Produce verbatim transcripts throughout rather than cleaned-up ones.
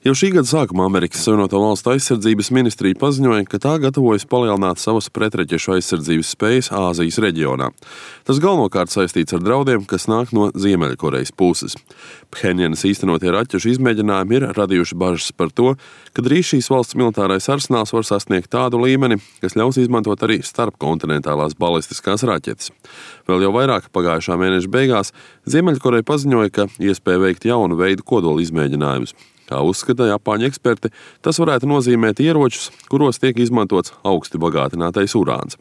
Jau šī gada sākumā Amerikas Savienoto Valstu aizsardzības ministrija paziņoja, ka tā gatavojas palielināt savas pretraķešu aizsardzības spējas Āzijas reģionā. Tas galvenokārt saistīts ar draudiem, kas nāk no Ziemeļkorejas puses. Phenjanas īstenotie raķešu izmēģinājumi ir radījuši bažas par to, ka drīz šīs valsts militārais arsenāls var sasniegt tādu līmeni, kas ļaus izmantot arī starpkontinentālās balistiskās raķetes. Vēl jau vairāk pagājušā mēneša beigās Ziemeļkoreja paziņoja, ka iespēja veikt jaunu veidu kodola izmēģinājumus. Kā uzskata Japāņu eksperti, tas varētu nozīmēt ieročus, kuros tiek izmantots augsti bagātinātais urāns.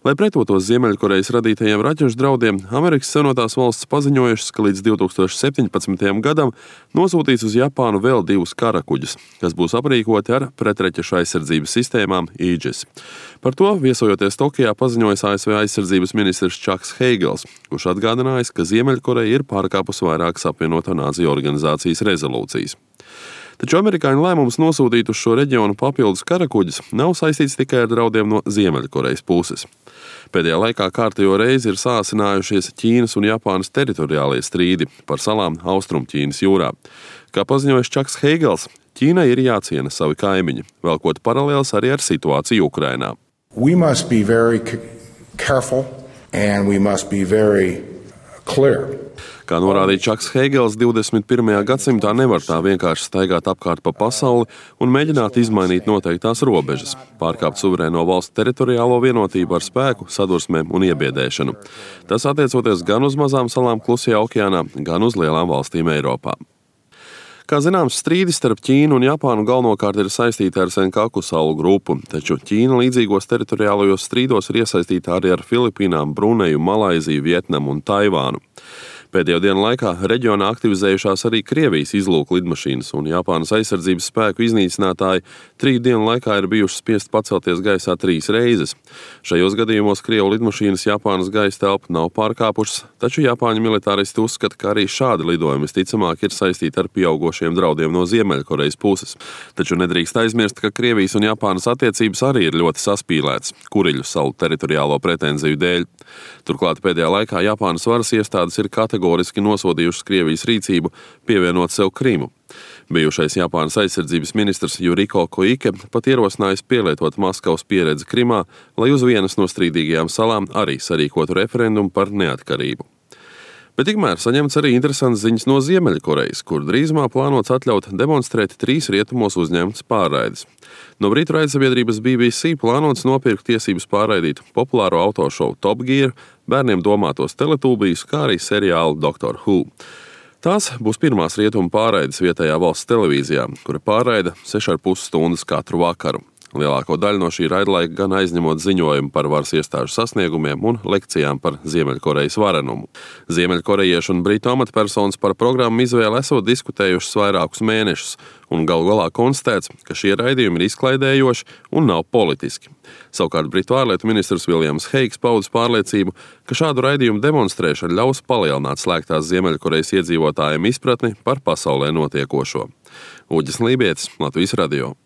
Lai pretotos Ziemeļkorejas radītajiem raķešu draudiem, Amerikas Savienotās Valstis paziņojušas, ka līdz divi tūkstoši septiņpadsmitajam gadam nosūtīs uz Japānu vēl divus karakuģus, kas būs aprīkoti ar pretraķešu aizsardzības sistēmām Aegis. Par to, viesojoties Tokijā, paziņojis A S V aizsardzības ministrs Čaks Heigels, kurš atgādinājis, ka Ziemeļkoreja ir pārkāpusi vairākas apvienoto nāciju organizācijas rezolūcijas. Taču amerikāņu lēmums nosūtīt uz šo reģionu papildus karakuģus nav saistīts tikai ar draudiem no Ziemeļkorejas puses. Pēdējā laikā kārtējo reizi ir sāsinājušies Ķīnas un Japānas teritoriālie strīdi par salām Austrumķīnas jūrā. Kā paziņojis Čaks Heigels, Ķīnai ir jāciena savi kaimiņi, velkot paralēles arī ar situāciju Ukrainā. We must be very careful and we must be very clear. Kā norādīja Čaks Heigels, divdesmit pirmajā gadsimtā nevar tā vienkārši staigāt apkārt pa pasauli un mēģināt izmainīt noteiktās robežas, pārkāpt suverēno valstu teritoriālo vienotību ar spēku, sadursmēm un iebiedēšanu. Tas attiecoties gan uz mazām salām Klusajā okeānā, gan uz lielām valstīm Eiropā. Kā zināms, strīdi starp Ķīnu un Japānu galvenokārt ir saistīti ar Senkaku salu grupu, taču Ķīna līdzīgos teritoriālajos strīdos ir iesaistīta arī ar Filipīnām, Bruneju, Malaiziju, Vietnamu un Taivānu. Pēdējo dienu laikā reģionā aktivizējušās arī Krievijas izlūku lidmašīnas, un Japānas aizsardzības spēku iznīcinātāji trīs dienu laikā ir bijuši spiest pacelties gaisā trīs reizes. Šajos gadījumos Krievu lidmašīnas Japānas gaisa telpu nav pārkāpušas, taču Japāņu militāristi uzskata, ka arī šādi lidojumi visticamāk ir saistīti ar pieaugošiem draudiem no Ziemeļkorejas puses. Taču nedrīkst aizmirst, ka Krievijas un Japānas attiecības arī ir ļoti saspīlētas Kuriļu salu teritoriālo pretenziju dēļ. Turklāt pēdējā laikā Japānas varas iestādes ir kategoriski nosodījušas Krievijas rīcību pievienot sev Krimu. Bijušais Japānas aizsardzības ministrs Juriko Koike pat ierosinājis pielietot Maskavas pieredzi Krimā, lai uz vienas no strīdīgajām salām arī sarīkotu referendumu par neatkarību. Bet tikmēr saņemts arī interesants ziņas no Ziemeļkorejas, kur drīzumā plānots atļaut demonstrēt trīs rietumos uzņemtas pārraides. No brītu raidsabiedrības B B C plānots nopirkt tiesības pārraidīt populāro autošovu Top Gear, bērniem domātos teletūbijus, kā arī seriālu Doctor Who. Tās būs pirmās rietumu pārraides vietējā valsts televīzijā, kura pārraida seši ar pus stundas katru vakaru. Lielāko daļu no šī raidlaika gan aizņemot ziņojumu par varas iestāžu sasniegumiem un lekcijām par Ziemeļkorejas varenumu. Ziemeļkorejiešu un britu amatpersonas par programmu izvēli esot diskutējušas vairākus mēnešus, un galu galā konstatēts, ka šie raidījumi ir izklaidējoši un nav politiski. Savukārt britu ārlietu ministrs Viljams Heigs paudis pārliecību, ka šādu raidījumu demonstrēšana ļaus palielināt slēgtās Ziemeļkorejas iedzīvotājiem izpratni par pasaulē notiekošo. Uģis Lībietis, Latvijas radio.